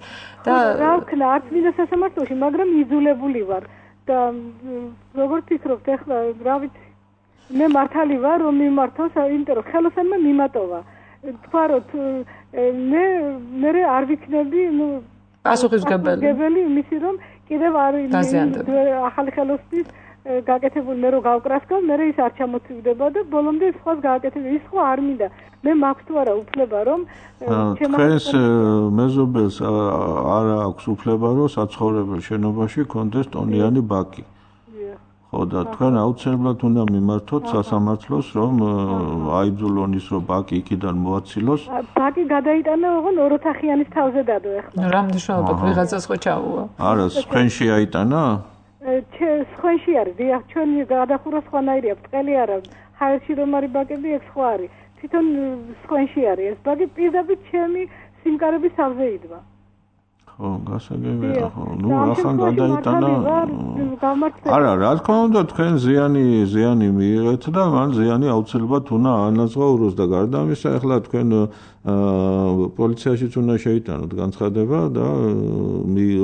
და რა ვქნა არც მინდა სასამართლოში მაგრამ იძულებული ვარ და როგორ ფიქრობთ ახლა რა ვიცი მე მართალი ვარ რომ მიმართოს იმიტომ რომ ხელოსანმა მიმატოვა თქვა რომ მე მე არ ვიქნები ნუ პასუხისმგებელი იმისი რომ კიდევ არ ახალი ხელოსნის გაკეთებული მე რო გავკრასკავ მე ის არ ჩამოწვდება და ბოლომდე სხვას გააკეთებ ის ხო არ მინდა მე მაქვს თუ არა უფლება რომ ჩვენს მეზობელს არ აქვს უფლება რომ საცხოვრებელ შენობაში კონდეს ტონიანი ბაკი ხო და თქვენ აუცილებლად უნდა მიმართოთ სასამართლოს რომ აიძულონ ის რომ ბაკი იქიდან მოაცილოს ბაკი გადაიტანა ოღონ ოროთახიანის თავზე დადო ახლა რა მნიშვნელობა ვიღაცას ხო ჩაუვა არა სხვენში აიტანა სხვენში არის დიახ ჩვენი გადახურვა სხვანაირია ბრტყელი არა ჰაერში რომ არის ბაკები ეგ სხვა არის თვითონ სხვენში არის ეს ბაკი პირდაპირ ჩემი სიმკარების თავზე იდგა ხო გასაგებია ხო ნუ ახლა გადაიტანა არა რა თქმა უნდა თქვენ ზიანი ზიანი მიიღეთ და მან ზიანი აუცილებლად უნდა ანაზღაუროს და გარდა ამისა ახლა თქვენ პოლიციაშიც უნდა შეიტანოთ განცხადება და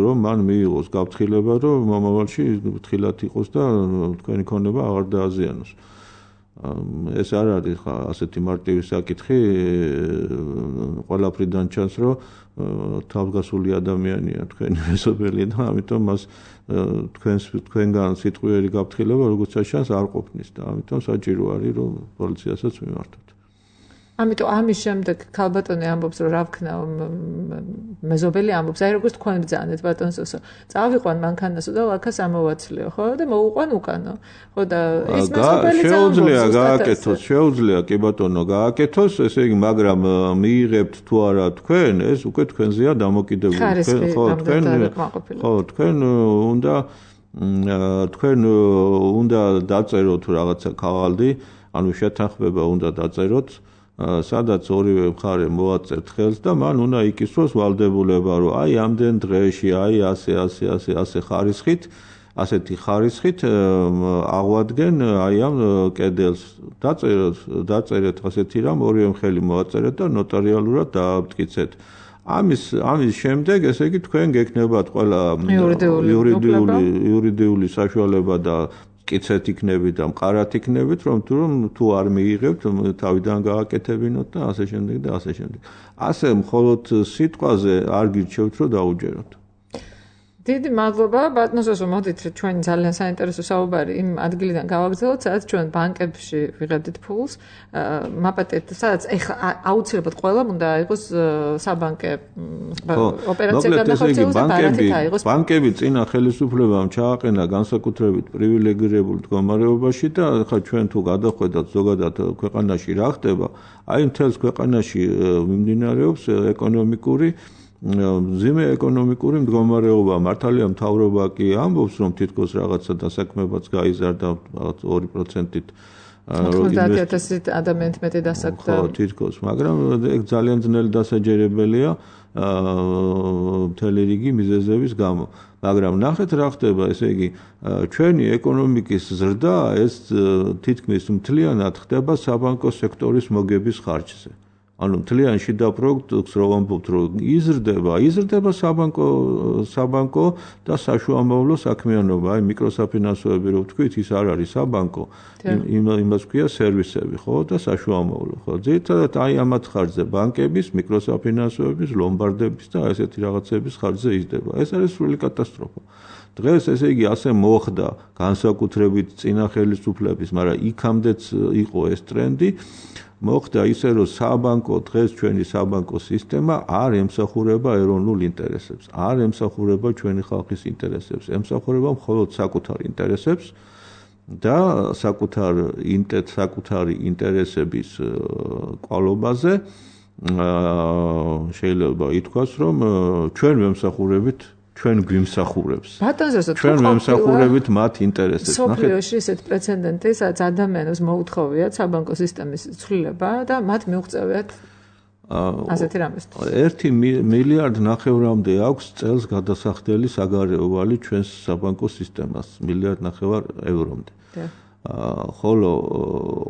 რომ მან მიიღოს გაფრთხილება რომ მომავალში ფრთხილად იყოს და თქვენი ქონება აღარ დააზიანოს ეს არ არის ხა ასეთი მარტივი საკითხი ყველაფრიდან ჩანს რომ თავგასული ადამიანია თქვენი მეზობელი და ამიტომ მას თქვენს თქვენგან სიტყვიერი გაფრთხილება როგორც ჩანს არ ყოფნის და ამიტომ საჭირო არის რომ პოლიციასაც მიმართოთ ამიტომ ამის შემდეგ ქალბატონი ამბობს რომ რა ვქნა მეზობელი ამბობს აი როგორც თქვენ ბრძანეთ ბატონსო წავიყვან მანქანასო და ლაქას ამოვაცლიო ხო და მოუყვან უკანო ხო და ეს მეზობელი შეუძლია გააკეთოს შეუძლია კი ბატონო გააკეთოს ესე იგი მაგრამ მიიღებთ თუ არა თქვენ ეს უკვე თქვენზეა დამოკიდებული ხო თქვენ ხო თქვენ უნდა თქვენ უნდა დაწეროთ რაღაცა ქაღალდი ანუ შეთანხმება უნდა დაწეროთ სადაც ორივე მხარე მოაწერთ ხელს და მან უნდა იკისროს ვალდებულება რომ აი ამდენ დღეში აი ასე ასე ასე ასე ხარისხით ასეთი ხარისხით აღვადგენ აი ამ კედელს დაწეროთ დაწერეთ ასეთი რამ ორივე მხელი მოაწერეთ და ნოტარიალურად დაამტკიცეთ ამის ამის შემდეგ ესე იგი თქვენ გექნებათ ყველა იურიდიული იურიდიული საშუალება და კიცეთ იქნებით და მყარად იქნებით რომ თუ რომ თუ არ მიიღებთ თავიდან გააკეთებინოთ და ასე შემდეგ და ასე შემდეგ ასე მხოლოდ სიტყვაზე არ გირჩევთ რომ დაუჯეროთ დიდი მადლობა ბატონსო მოდით ჩვენ ძალიან საინტერესო საუბარი იმ ადგილიდან გავაგრძელოთ სადაც ჩვენ ბანკებში ვიღებდით ფულს მაპატეთ sadაც ეხლა აუცილებლად ყველამ უნდა იყოს საბანკე ოპერაცია გადახორციელოს და ბარათით აიღოს ბანკები წინა ხელისუფლებამ ჩააყენა განსაკუთრებით პრივილეგირებულ მდგომარეობაში და ხა ჩვენ თუ გადახვედათ ზოგადად ქვეყანაში რა ხდება აი მთელს ქვეყანაში მიმდინარეობს ეკონომიკური მძიმე ეკონომიკური მდგომარეობა მართალია მთავრობა კი ამბობს რომ თითქოს რაღაცა დასაქმებაც გაიზარდა ორი პროცენტით ოცდაათი ათასი ადამიანით მეტი დასაქმდა ხო თითქოს მაგრამ ეგ ძალიან ძნელი დასაჯერებელია მთელი რიგი მიზეზების გამო მაგრამ ნახეთ რა ხდება, ესე იგი, ჩვენი ეკონომიკის ზრდა ეს თითქმის მთლიანად ხდება საბანკო სექტორის მოგების ხარჯზე. ანუ მთლიან შიდა პროდუქტს რო ვამბობთ, რომ იზრდება, იზრდება საბანკო საბანკო და საშუალო საქმიანობა, აი მიკროსაფინანსოები რო ვთქვით, ის არ არის საბანკო, იმას ქვია სერვისები, ხო, და საშუალო, ხო. ძირითადად აი ამათ ხარჯზე ბანკების, მიკროსაფინანსოების, ლომბარდების და ესეთი რაღაცების ხარჯზე იზრდება. ეს არის სრული კატასტროფა. დღეს ესე იგი ასე მოხდა განსაკუთრებით წინა ხელისუფლების, მაგრამ იქამდეც იყო ეს ტრენდი. მოხდა ისე, რომ საბანკო დღეს ჩვენი საბანკო სისტემა არ ემსახურება ეროვნულ ინტერესებს, არ ემსახურება ჩვენი ხალხის ინტერესებს, ემსახურება მხოლოდ საკუთარ ინტერესებს და საკუთარ ინტერესს, საკუთარი ინტერესების კვალობაზე შეიძლება ითქვას, რომ ჩვენ ვემსახურებით ჩვენ გვიმსახურებს. ჩვენ ვემსახურებით მათ ინტერესებს. სოფლიოში ესეთ პრეცედენტი, სადაც ადამიანებს მოუთხოვიათ საბანკო სისტემის ცვლილება და მათ მიუღწევიათ ასეთი რამეს. ერთი მილიარდ ნახევრამდე აქვს წელს გადასახდელი საგარეო ვალი ჩვენს საბანკო სისტემას, მილიარდ ნახევარ ევრომდე. ხოლო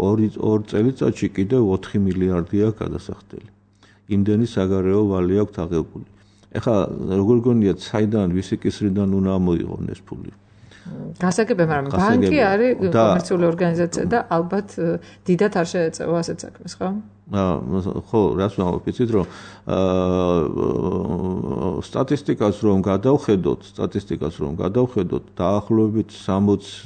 ორ წელიწადში კიდევ ოთხი მილიარდი აქვს გადასახდელი. იმდენი საგარეო ვალი აქვს აღებული. ეხლა როგორ გონიათ, საიდან, ვისი კისრიდან უნდა მოიღონ ეს ფული? გასაგებია, მაგრამ ბანკი არის კომერციული ორგანიზაცია და ალბათ დიდად არ შეეწევა ასეთ საქმეს, ხო? ხო, რას ვამბობ, იცით, რომ სტატისტიკას რომ გადავხედოთ, სტატისტიკას რომ გადავხედოთ, დაახლოებით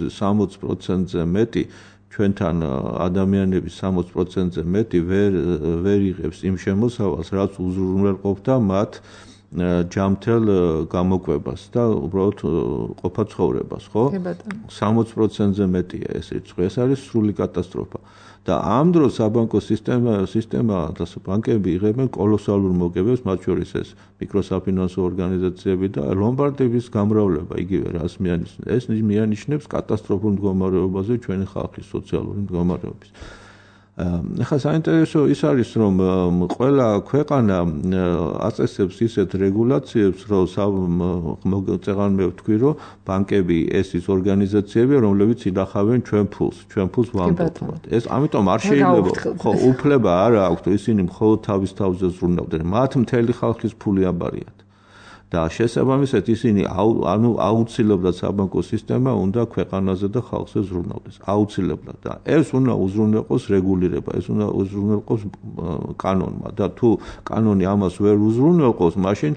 სამოცი პროცენტზე მეტი ჩვენთან ადამიანების სამოცი პროცენტზე მეტი ვერ ვერ იღებს იმ შემოსავალს, რაც უზრუნველყოფდა მათ ჯამთელ გამოკვებას და უბრალოდ ყოფა ცხოვრებას, ხო? სამოცი პროცენტზე მეტია ეს რიცხვი. ეს არის სრული კატასტროფა. და ამ დროს საბანკო სისტემა სისტემა და ბანკები იღებენ კოლოსალურ მოგებებს, მათ შორის ეს მიკროსაფინანსო ორგანიზაციები და ლომბარდების გამრავლება იგივე რას მიანიშნებს. ეს მიანიშნებს კატასტროფულ მდგომარეობაზე ჩვენი ხალხის სოციალური მდგომარეობის. ეხლა საინტერესო ის არის, რომ ყველა ქვეყანა აწესებს ისეთ რეგულაციებს, რომ წეღანმე ვთქვი, რომ ბანკები ეს ის ორგანიზაციები, რომლებიც ინახავენ ჩვენ ფულს, ჩვენ ფულს ვამბობთ. ეს ამიტომ არ შეიძლება, ხო, უფლება არ აქვს, ისინი მხოლოდ თავის თავზე ზრუნავდნენ. მათ მთელი ხალხის ფული აბარიათ. და შესაბამისად ისინი ანუ აუცილებლად საბანკო სისტემა უნდა ქვეყანაზე და ხალხზე ზრუნავდეს. აუცილებლად და ეს უნდა უზრუნველყოს რეგულირება, ეს უნდა უზრუნველყოს კანონმა და თუ კანონი ამას ვერ უზრუნველყოს, მაშინ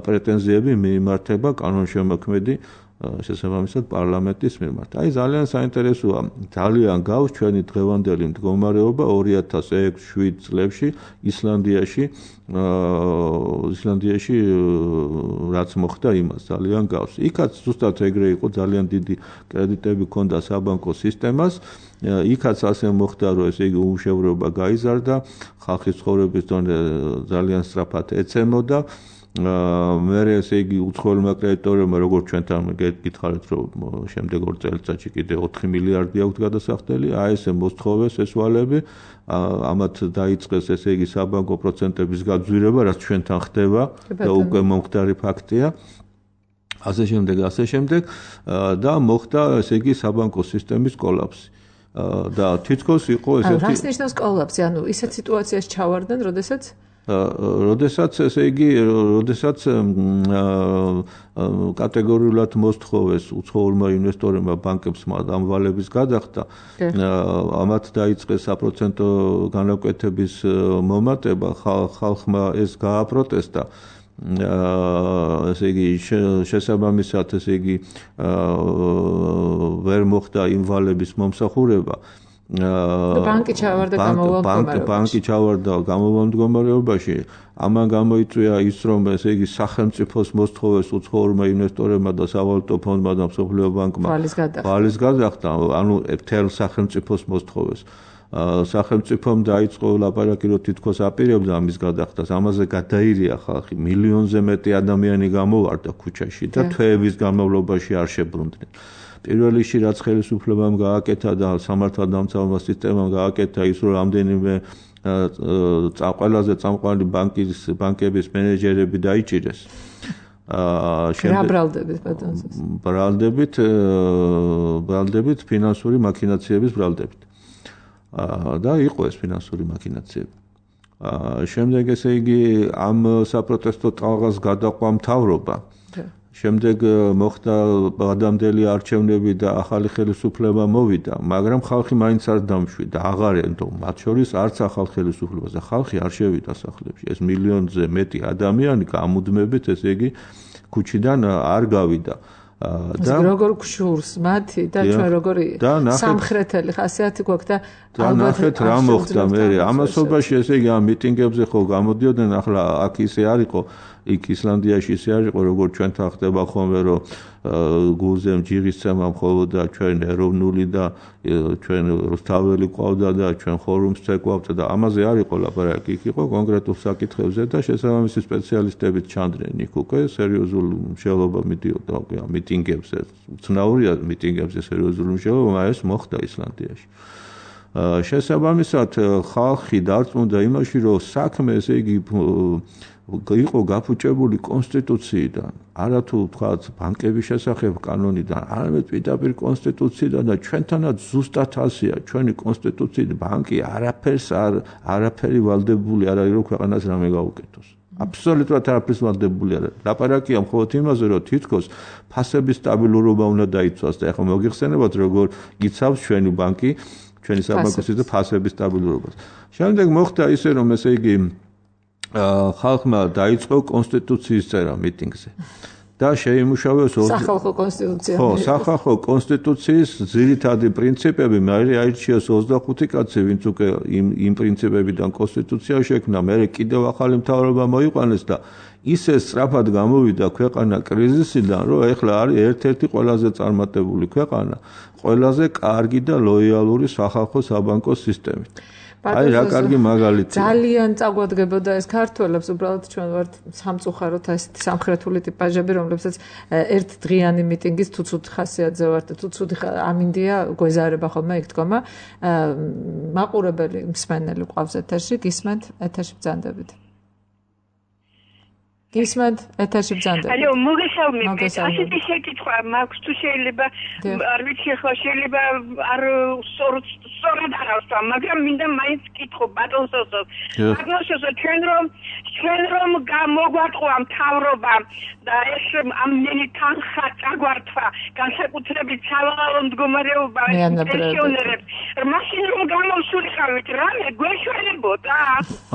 პრეტენზიები მიიმართება კანონშემოქმედი შესაბამისად პარლამენტის მიმართ. აი ძალიან საინტერესოა, ძალიან გავს ჩვენი დღევანდელი მდგომარეობა ორი ათას ექვსი შვიდ წლებში ისლანდიაში ისლანდიაში რაც მოხდა იმას ძალიან გავს. იქაც ზუსტად ეგრე იყო, ძალიან დიდი კრედიტები ჰქონდა საბანკო სისტემას. იქაც ასე მოხდა, რომ ესე იგი უმუშევრობა გაიზარდა, ხალხის ცხოვრების დონე ძალიან სწრაფად ეცემოდა. მე ესე იგი უცხოელმა კრედიტორებმა, როგორც ჩვენთან გითხარით, რომ შემდეგ ორ წელიწადში კიდე ოთხი მილიარდი აქვს გადასახდელი, აი ესე მოსთხოვეს ეს ვალები, ამათ დაიწყეს ესე იგი საბანკო პროცენტების გაძვირება, რაც ჩვენთან ხდება და უკვე მომხდარი ფაქტია. ასე შემდეგ, ასე შემდეგ და მოხდა ესე იგი საბანკო სისტემის კოლაფსი. და თითქოს იყო ესეთი რას ნიშნავს კოლაფსი? ანუ ისეთ სიტუაციაში ჩავარდნენ, როდესაც როდესაც ესე იგი, როდესაც კატეგორიულად მოსთხოვეს უცხოურმა ინვესტორებმა ბანკებს ამ ვალების გადახდა, ამათ დაიწყეს საპროცენტო განაკვეთების მომატება, ხალხმა ეს გააპროტესტა. ესე იგი შესაბამისად ესე იგი ვერ მოხდა იმ ვალების მომსახურება. ბანკი ჩავარდა გამოვანდგომარეობაში. ბანკი ჩავარდა გამოვანდგომარეობაში. ამან გამოიწვია ის, რომ ესე იგი სახელმწიფოს მოსთხოვეს უცხოურმა ინვესტორებმა და სავალუტო ფონდმა და მსოფლიო ბანკმა ვალის გადახდა, ანუ მთელ სახელმწიფოს მოსთხოვეს. სახელმწიფომ დაიწყო ლაპარაკი, რომ თითქოს აპირებდა ამის გადახდას. ამაზე გადაირია ხალხი, მილიონზე მეტი ადამიანი გამოვარდა ქუჩაში და თვეების განმავლობაში არ შებრუნდნენ. პირველ რიგში რაც ხელისუფლებამ გააკეთა და სამართალდამცავმა სისტემამ გააკეთა ის, რომ რამდენიმე ყველაზე წამყვანი ბანკის ბანკების მენეჯერები დაიჭირეს. რა ბრალდებით ბატონსოს? ბრალდებით, ბრალდებით ფინანსური მაქინაციების ბრალდებით. და იყო ეს ფინანსური მაქინაციები. შემდეგ ესე იგი ამ საპროტესტო ტალღას გადაყვა მთავრობა. შემდეგ მოხდა ადამიანელი არჩევნები და ახალი ხელისუფლება მოვიდა, მაგრამ ხალხი მაინც არ დამშვიდა, აღარ ენდო, მათ შორის არც ახალ ხელისუფლებას და ხალხი არ შევიდა სახლებში. ეს მილიონზე მეტი ადამიანი გამუდმებით, ესე იგი, ქუჩიდან არ გავიდა. და როგორ გშურს მათი და ჩვენ როგორი სამხრეთელი ხასიათი გვაქვს და ალბათ რა მოხდა მე ამასობაში ესე იგი ამ მიტინგებზე ხო გამოდიოდნენ ახლა აქ ისე არ იყო იქ ისლანდიაში ისე არ იყო როგორც ჩვენთან ხდება ხოლმე რომ გულზე ჯიღისცემა მხოლოდ და ჩვენ ეროვნული და ჩვენ რუსთაველი ყავდა და ჩვენ ხორუმს წეკვავდა და ამაზე არ იყო ლაპარაკი იქ იყო კონკრეტულ საკითხებზე და შესაბამისი სპეციალისტებით ჩანდნენ იქ უკვე სერიოზულ მშელობა მიდიოდა მიტინგებზე უცნაურია მიტინგებზე სერიოზული მშელობა ეს მოხდა ისლანდიაში შესაბამისად ხალხი დარწმუნდა იმაში რომ საქმე ესე იგი იყო გაფუჭებული კონსტიტუციიდან, არა თუ თქვათ ბანკების შესახებ კანონიდან, არამედ პირდაპირ კონსტიტუციიდან და ჩვენთანაც ზუსტად ასეა, ჩვენი კონსტიტუციით ბანკი არაფერს არ არაფერი ვალდებული არ არის რომ ქვეყანას რამე გაუკეთოს. აბსოლუტურად არაფერს ვალდებული არ არის. ლაპარაკია მხოლოდ იმაზე, რომ თითქოს ფასების სტაბილურობა უნდა დაიცვას და ახლა მოგიხსენებათ როგორ იცავს ჩვენი ბანკი, ჩვენი საბანკო და ფასების სტაბილურობას. შემდეგ მოხდა ისე რომ ესე იგი ხალხმა დაიწყო კონსტიტუციის წერა მიტინგზე და შეიმუშავეს სახალხო კონსტიტუცია. ხო, სახალხო კონსტიტუციის ძირითადი პრინციპები, მე აირჩიეს ოცდახუთი კაცი, ვინც უკვე იმ იმ პრინციპებიდან კონსტიტუცია შექმნა, მე კიდევ ახალი მთავრობა მოიყვანეს და ისე სწრაფად გამოვიდა ქვეყანა კრიზისიდან, რომ ეხლა არის ერთ-ერთი ყველაზე წარმატებული ქვეყანა, ყველაზე კარგი და ლოიალური სახალხო საბანკო სისტემით. აი რა კარგი მაგალითია. ძალიან წაგვადგებოდა ეს ქართველებს, უბრალოდ ჩვენ ვართ სამწუხაროდ ესეთი სამხრეთული ტიპაჟები, რომლებსაც ერთ დღიანი მიტინგის თუ ცუდი ხასიათზე ვართ და თუ ცუდი ამინდია გვეზარება ხოლმე იქ დგომა. მაყურებელი მსმენელი ყავს ეთერში, გისმენთ, ეთერში ბრძანდებით. გისმენთ, ეთერში ბრძანდებით. ალო, მოგესალმებით. ასეთი შეკითხვა მაქვს თუ შეიძლება არ ვიცი ხო შეიძლება არ სწორად არ ავსვა, მაგრამ მინდა მაინც კითხო ბატონსოსო. ბატონსოსო ჩვენ რომ ჩვენ რომ მოგვატყვა მთავრობა და ეს ამდენი თანხა წაგვართვა, განსაკუთრებით სავალალო მდგომარეობა პენსიონერებს. მაშინ რომ გამოსულიყავით, რამე გვეშველებოდა?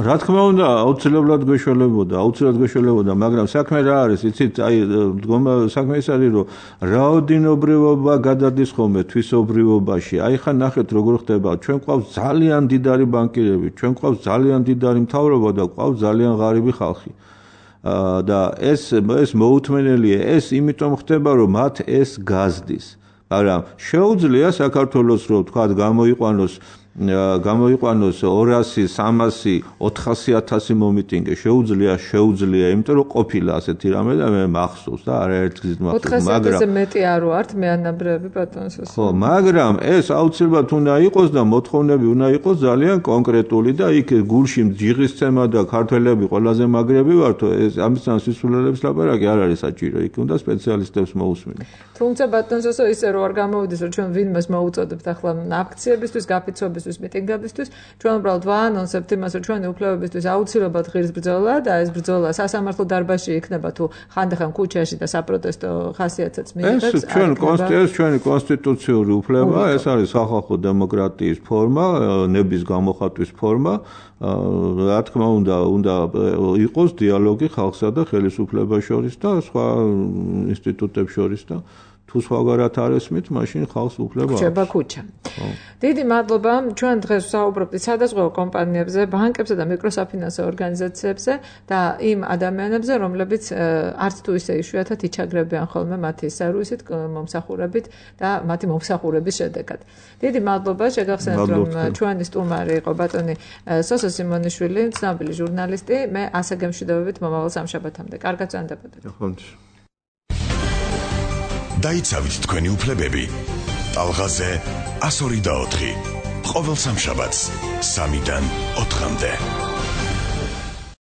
რა თქმა უნდა, აუცილებლად გვეშველებოდა, აუცილებლად გვეშველებოდა, მაგრამ საქმე რა არის, იცით, აი საქმე ის არის, რომ რაოდენობრივობა გადადის ხოლმე თვისობრივობაში. აი ხან ნახეთ როგორ ხდება, ჩვენ ყავს ძალიან დიდარი ბანკირები, ჩვენ ყავს ძალიან დიდარი მთავრობა და ყავს ძალიან ღარიბი ხალხი. და ეს ეს მოუთმენელია, ეს იმიტომ ხდება, რომ მათ ეს გაზდის. მაგრამ შეუძლია საქართველოს რომ თქვა გამოიყვანოს გამოიყვანოს ორასი, სამასი, ოთხასი ათასი მომიტინგე შეუძლია, შეუძლია, იმიტომ რომ ყოფილა ასეთი რამე და მე მახსოვს და არაერთ გზით მახსოვს, მაგრამ ოთხასი ათასზე მეტი არ ვართ მე ანაბრები ბატონსოს. ხო, მაგრამ ეს აუცილებლად უნდა იყოს და მოთხოვნები უნდა იყოს ძალიან კონკრეტული და იქ გულში ჯიღისცემა და ქართველები ყველაზე მაგრები ვართო, ეს ამისთან სისულელებს ლაპარაკი არ არის საჭირო, იქ უნდა სპეციალისტებს მოусმინო. თუმცა ბატონსოსო ისე რომ არ გამოვიდეს რომ ჩვენ ვინმეს მოუწოდებთ ახლა აქციებისთვის, გაფიცვების მიტინგებისთვის ჩვენ უბრალოდ ვაანონსებთ იმას რომ ჩვენი უფლებებისთვის აუცილებლად ღირს ბრძოლა და ეს ბრძოლა სასამართლო დარბაზში იქნება თუ ხანდახან ქუჩაში და საპროტესტო ხასიათსაც მიიღებს. ეს ჩვენ კონსტიტუციის ჩვენი კონსტიტუციური უფლება, ეს არის სახალხო დემოკრატიის ფორმა, ნების გამოხატვის ფორმა. რა თქმა უნდა, უნდა იყოს დიალოგი ხალხსა და ხელისუფლებას შორის და სხვა ინსტიტუტებს შორის და თუ სხვაგანად არ ესმით, მაშინ ხალხს უფლება აქვს. რჩება ქუჩა. დიდი მადლობა. ჩვენ დღეს ვსაუბრობთ სადაზღვევო კომპანიებზე, ბანკებზე და მიკროსაფინანსო ორგანიზაციებზე და იმ ადამიანებზე, რომლებიც არც თუ ისე იშვიათად იჩაგრებიან ხოლმე მათი სერვისით, მომსახურებით და მათი მომსახურების შედეგად. დიდი მადლობა, შეგახსენებთ, რომ ჩვენი სტუმარი იყო ბატონი სოსო სიმონიშვილი, ცნობილი ჟურნალისტი. მე ასე გემშვიდობებით მომავალ სამშაბათამდე. კარგად წვენდებოდეთ. დაიცავით თქვენი უფლებები. ტალღაზე ასორი და ოთხი. ყოველ სამშაბათს სამიდან ოთხამდე.